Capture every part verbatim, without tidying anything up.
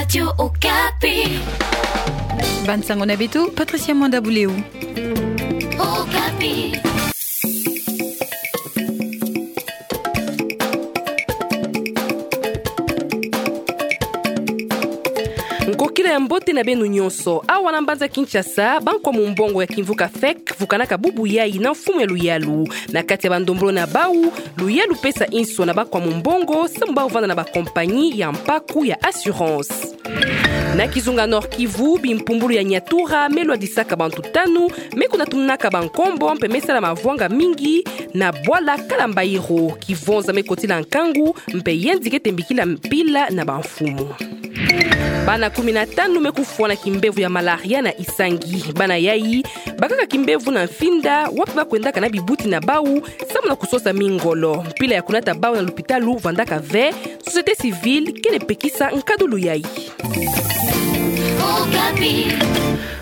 Radio Okapi. Bansango na beto, Patricia Mwanda Buleu. Okapi. Nkokila ya mbote na beno nyonso. Awa na mbanza Kinshasa, bankwa mumbongo ya kimvuka fek vukanaka bubu yayi na mfumu ya luyalu. Na kati ya bandombolo na bau, luyalu pesa inso na bankwa mumbongo, samu bau vanda na bakompanyi ya mpaku ya assurance. Na kizunga Nord-Kivu, bimpumbulu ya Nyatura me lwadisaka bantu tanu, me kuna tumunaka bankombo mpe me sala mavwanga mingi na bwala Kalambairo. Kivonza me kotila nkangu, mpe yandi kete mbikila mpila na bamfumu. Bana kumi na tanu me kufwa na kimbevo ya malaria na Isangi. Bana yayi bakaka kimbevo na Mfinda, wapi bakwendaka na bibuti na bau, samu na kusosa mingolo. Mpila ya kunata bau na lupitalu vandaka ve, société civile kele pekisa nkadulu yayi.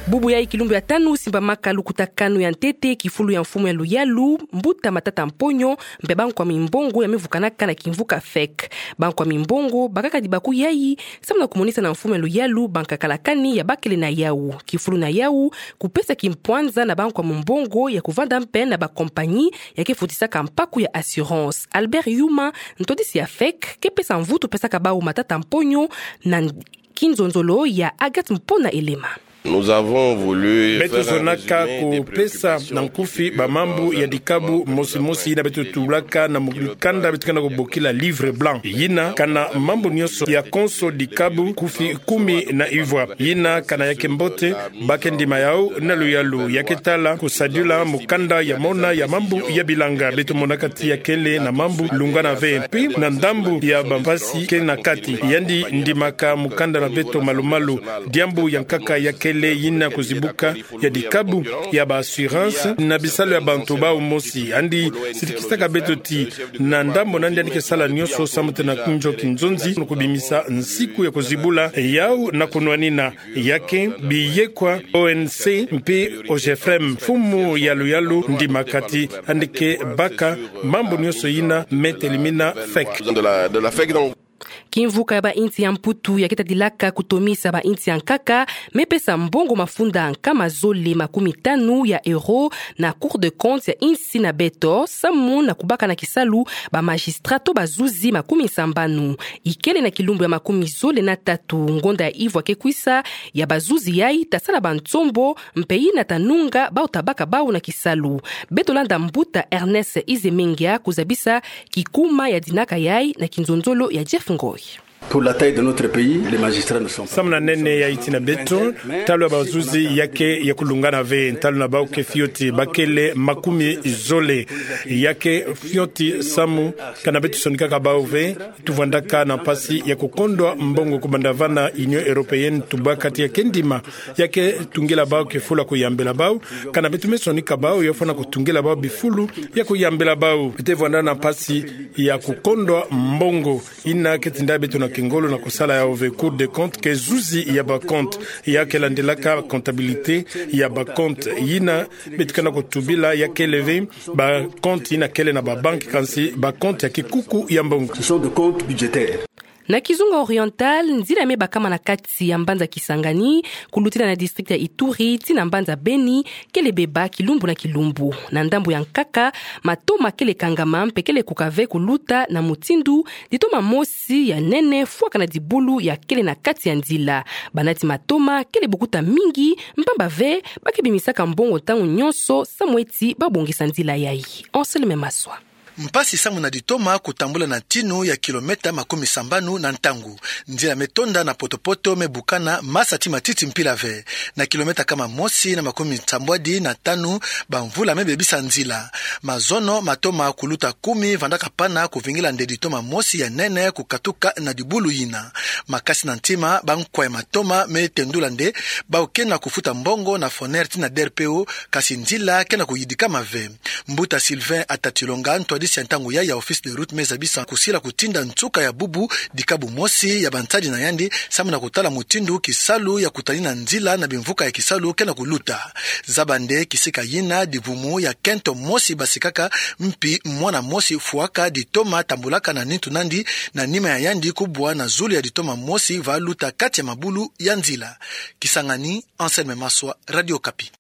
Bubu yayi kilumbu ya tanu simbamaka lukutakanu ya ntete kifulu ya mfumu ya luyalu, Mbuta Matata Mponyo, mpe bankwa mimbongo ya me vukanaka na kimvuka fek. Bankwa mimbongo bakaka dibaku yayi, samu na kumonisa na mfumu ya luyalu bankakalakani ya bakele na yau. Kifulu na yau, kupesa kimpwanza na bankwa mumbongo ya kuvanda mpe na bakompanyi ya ke futisaka mpaku ya assurance. Albert Yuma, ntwadisi ya fek, ke pesa mvutu pesaka bau Matata Mponyo na kinzonzolo ya Agathe Mpona Elema. Nous avons voulu faire un résumé des préoccupations. Beto zonaka kupesa na nkufi bamambu ya dikabu mosi mosi yina beto tubulaka na mukanda beto ke na kubokila livre blanc. Yina kana mambu nyonso ya konso dikabu nkufi kumi na ivwa. Yina kana ya ke mbote, ba ke ndima yau na luyalu, ya ke tala kusadila mukanda ya mona ya mambu ya bilanga. Beto monaka ti ya kele na mambu lungana ve. Mpi na ndambu ya bampasi ke na kati. Yandi ndimaka mukanda na beto malu-malu. Diambu ya nkaka ya kele yina kuzibuka ya dikabu ya ba assurance na bisalu ya bantu bau mosi. Yandi sitikisaka beto ti na ndambu nandi yandi ke sala nyonso samu tena kunjo kinzonzi, na kubimisa nsiku ya kuzibula yau na kunwanina. Ya ke biyekwa O N C mpe O G F R E M. Mfumu ya luyalu ndimaka ti yandi ke baka mambu nyonso yina me telimina fek. De la, de la fek, donc. Kimvuka ya bainsi ya Mputu ya ke tadilaka kutomisa bainsi ya nkaka, me pesa mbongo mafunda nkama zole makumi tanu ya euro na Cour des comptes ya insi na beto, samu na kubaka na kisalu ba magistrat to bazuzi makumi sambanu. Ikele na kilumbu ya makumi zole na tatu ngonda ya ivwa ke kwisa ya bazuzi yayi ta sala bansombo, mpe yina ta nunga bau ta baka bau na kisalu. Beto landa Mbuta Ernest Izemengia kuzabisa kikuma ya dinaka yayi na kinzonzolo ya Jeff Ngoy. Pour la taille de notre pays, les magistrats ne sont pas... Samu na nene ya insi na beto, ntalu ya bazuzi ya ke ya kulungana ve, ntalu na bau ke fioti, ba kele makumi zole. Ya ke fioti samu kana beto sonikaka bau ve, tuvandaka na mpasi ya kukondwa mbongo kubanda va na Union Européenne, tubaka ti ya ke ndima ya ke tungila bau kifulu ya kuyambila bau, kana beto me sonika bau, yo fwana kutungila bau bifulu ya kuyambila bau. Beto vanda na mpasi ya kukondwa mbongo. Yina ke tinda beto na kingolo na kusala yau ve. Cour des comptes ke zuzi ya ba comptes, ya ke landilaka comptabilité ya ba comptes. Yina beto ke na kutubila ya kele ve ba comptes yina kele na ba banques, kansi ba comptes ya kikuku ya mbongo. Ce sont des comptes budgétaires. Na Kizunga Oriental, nzila me bakama na kati ya mbanza Kisangani, kulutila na district ya Ituri tii na mbanza Beni, kele beba kilumbu na kilumbu. Na ndambu ya nkaka, matoma kele kangama mpe kele kuka ve kuluta na mutindu ditoma mosi ya nene fwaka na dibulu ya kele na kati ya nzila. Banati matoma kele bukuta mingi, mpamba ve ba ke bimisaka mbongo ntangu nyonso samu eti babongisa nzila yayi. Anselme Maswa. Mpasi samu na ditoma kutambula na ntinu ya kilomètre makumi sambanu na ntangu. Nzila me tonda na potopoto, me bukana, masa tii matiti mpila ve. Na kilomètre kama mosi na makumi nsambwadi na tanu, bamvula me bebisa nzila. Mazono matoma kuluta kumi vandaka pana kuvingila nde ditoma mosi ya nene kukatuka na dibulu yina. Makasi na ntima, bankwa ya matoma me tendula nde bau ke na kufuta mbongo na Foner tii na D R P O, kasi nzila ke na kuyidikama ve. Mbuta Sylvain Atatilonga, ntwadi Sia ntangu ya, ya Office des Routes me zabisa kusila kutinda nsuka ya bubu dikabu mosi ya bansadi na yandi, samu na kutala mutindu kisalu ya kutani na nzila na bimvuka ya kisalu ke na kuluta. Zaba nde kisika yina dibumu ya kento mosi basikaka, mpi mwana mosi fwaka ditoma tambulaka na nitu nandi, na nima ya yandi kubwa na zulu ya ditoma mosi va luta kati ya mabulu ya nzila. Kisangani, Anselme Maswa, Radio Okapi.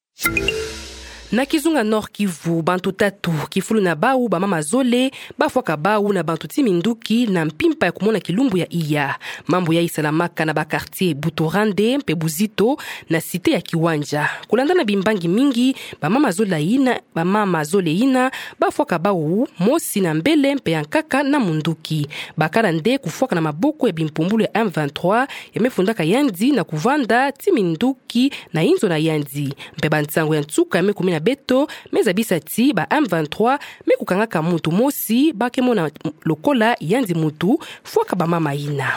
Na kizunga Nord-Kivu, bantu tatu, kifulu na bau bamama zole, bafwaka bau na bantu ti minduki na mpimpa ya kumona kilumbu ya iya. Mambu yayi salamaka na ba quartier Buturande mpe Buzito, na cité ya Kiwanja. Kulanda na bimbangi mingi, bamama zole yina, bamama zole yina, bafwaka bau mosi na mbele mpe ya nkaka na munduki. Bakala nde kufwaka na maboko ya bimpumbulu ya M vingt-trois, ya me fundaka yandi na kuvanda ti minduki na inzo na yandi. Mpe bansangu ya nsuka ya me kumi na beto me zabisa ti ba M vingt-trois me kukangaka muntu mosi ba ke mona lokola yandi muntu fwaka bamama yina.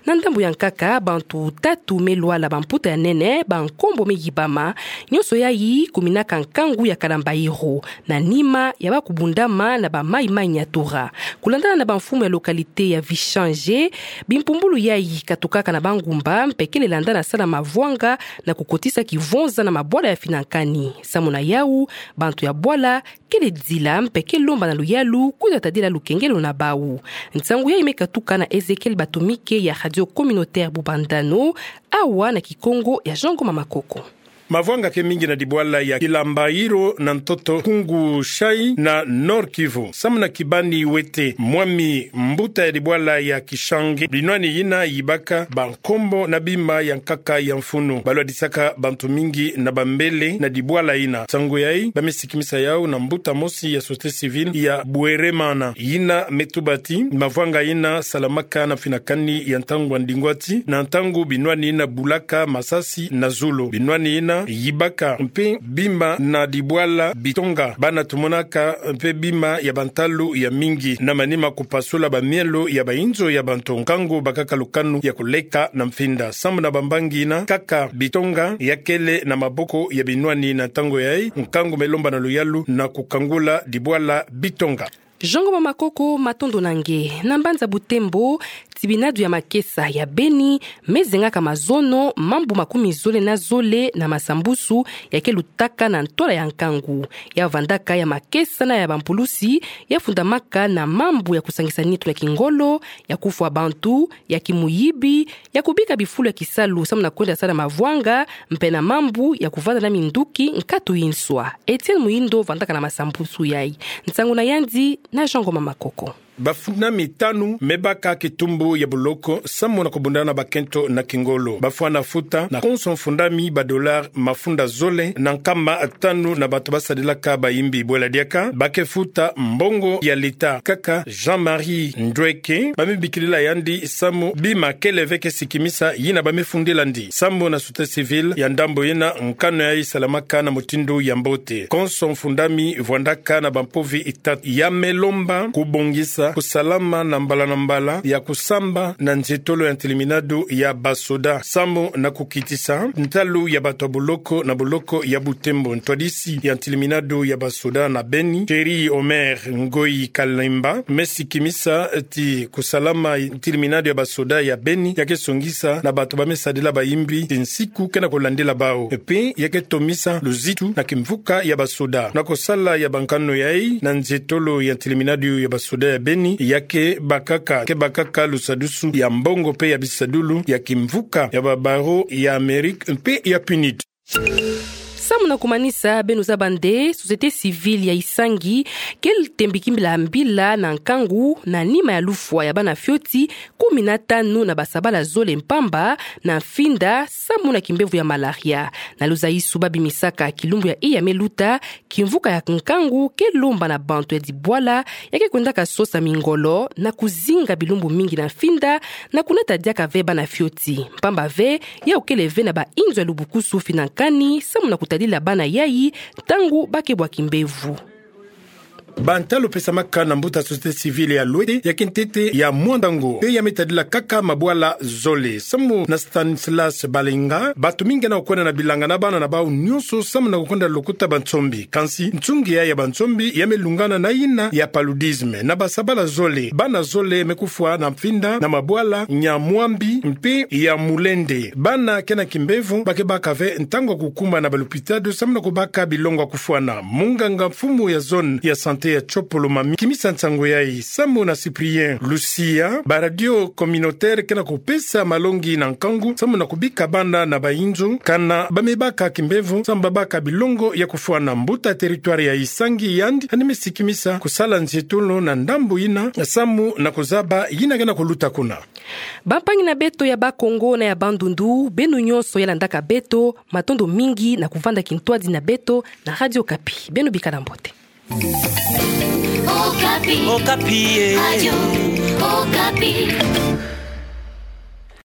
Na ndambu ya nkaka, bantu tatu me lwala bamputa ya nene, bankombo me yibama, nyonso yayi kuminaka nkangu ya Kalambairo, na nima ya ba kubundama na ba mayi-mayi Nyatura. Kulandana na bamfumu ya localité ya Vichange, bimpumbulu yayi katukaka na bangumba, mpe kele landa na sala mavwanga na kukotisa kivonza na mabwala ya finankani. Samu na yau, bantu ya bwala kele dila mpe ke lomba na luyalu kwiza tadila lukengelo na bau. Nsangu yayi me katuka na Ezekiel Batumike ya Radio Communautaire Bubandano, awa na Kikongo ya Jean Ngoma Makoko. Mavwanga ke mingi na dibwala ya Kilambairo na ntoto Kungu Chai na Nord-Kivu. Samu na kibani wete, mwami mbuta ya dibwala ya Kichange, binwani yina yibaka bankombo na bima ya nkaka ya mfunu. Balwadisaka bantu mingi na bambele na dibwala yina. Nsangu yayi, ba me sikimisa yau na mbuta mosi ya société civile ya Bweremana. Yina me tuba ti mavwanga yina salamaka na finankani ya ntangu ya ndingwati, na ntangu binwani yina bulaka masasi na zulu. Binwani yina yibaka mpe bima na dibwala Bitonga. Bana tumonaka mpe bima ya bantalu ya mingi, na manima kupasula bamielo ya bainzo ya bantu, nkangu bakaka lukanu ya kuleka na mfinda. Samu na bambangi yina, nkaka Bitonga ya kele na maboko ya binwani na ntangu yayi, nkangu me lomba na luyalu na kukangula dibwala Bitonga. Jean Ngoma Makoko, matondo na nge. Na mbanza Butembo, tibinadu ya makesa ya Beni me zengaka mazono mambu makumi zole na zole na masambusu ya ke lutaka na ntwala ya nkangu. Ya vandaka ya makesa na ya bampulusi ya fundamaka na mambu ya kusangisa nitu na kingolo, ya kufwa bantu, ya kimuyibi, ya kubika bifulu ya kisalu samu na kwenda sala mavwanga, mpe na mambu ya kuvanda na minduki nkatu inswa. Etienne Muindo vandaka na masambusu yayi. Nsangu na yandi na Jean Ngoma Makoko. Bafundami tanu me baka kitumbu ya boloko samu na kubundana na bakento na kingolo. Bafwana futa na konso mfundami ba dollar mafunda zole na nkama tanu na bato basadilaka bayimbi. Bwela diaka ba ke futa mbongo ya leta. Kaka Jean-Marie Ndweke, ba me bikilila yandi samu bima kele ve ke sikimisa yina ba me fundila ndi. Samu na société civile ya ndambu yina, nkanu yayi salamaka na mutindu ya mbote. Konso mfundami vwandaka na bampovi itatu. Ya me lomba kubongisa kusalama na mbala na mbala ya kusamba na nzietolo ya ntiliminadu ya basoda samu na kukitisa ntalu ya bato ya boloko na boloko ya Butembo. Ntwadisi ya ntiliminadu ya basoda na Beni, Thierry Omer Ngoyi Kalemba, me sikimisa ti kusalama ntiliminadu ya basoda ya Beni ya ke songisa na bato ba me sadila bayimbi ti nsiku ke na kulandila bau. Mpe ya ke tomisa luzitu na kimvuka ya basoda. Na kusala ya bankanu yayi na nzietolo ya ntiliminadu ya basoda ya Beni, ya ke bakaka, ke bakaka lusadusu ya mbongo mpe ya bisadulu ya kimvuka ya ba barreaux ya Amérique mpe ya PNUD. Samu na kumanisa, beno zaba nde société civile ya Isangi ke tembi kimbila mbila na nkangu na nima ya lufwa ya bana fioti kumi na tanu na basabala zole mpamba na mfinda samu na kimbevo ya malaria. Na luzayisu ba bimisaka, kilumbu ya iya me luta, kimvuka ya nkangu ke lomba na bantu ya dibwala ya ke kwendaka sosa mingolo na kuzinga bilumbu mingi na mfinda na kunata diaka ve bana fioti. Mpamba ve, yau kele ve na bainzo ya lubukusu finankani samu na kutadila bana yayi ntangu ba ke bwa kimbevo. Ba ntalu pesamaka na mbuta société civile ya Luete, ya kintete ya Muandango, pe ya me tadila kaka mabwala zole. Samu na Stanislas Balenga, bato mingi kena kukwenda na bilanga na bana na bau nyonso, samu na kukwenda lokuta bansombi. Kansi nsungi ya, ya bansombi ya me lungana na yina ya paludisme. Na basabala zole, bana zole me kufwa na mfinda na mabwala Nyamwambi mpe ya Mulende. Bana kena kimbevo ba ke baka ve ntangu ya kukumba na balopitalo samu na kubaka bilongo ya kufwana. Munganga mfumu ya zone ya santé ya Tsopolo Mami kimisa nsangu yayi. Samu na Cyprien Lucia, ba radio communautaire kena kupesa malongi na nkangu samu na kubika bana na bainzo, kana ba me baka kimbevo samu ba baka bilongo ya kufwana. Mbuta territoire ya Isangi yandi aneme sikimisa kusala nzietolo na ndambu yina samu na kuzaba yina kena kuluta kuna. Bampangi na beto ya Bas-Congo na ya Bandundu, beno nyonso ya landaka beto, matondo mingi na kuvanda kintwadi na beto na Radio Okapi. Beno bikala mbote. Okapi. Okapi, eh. Radio Okapi.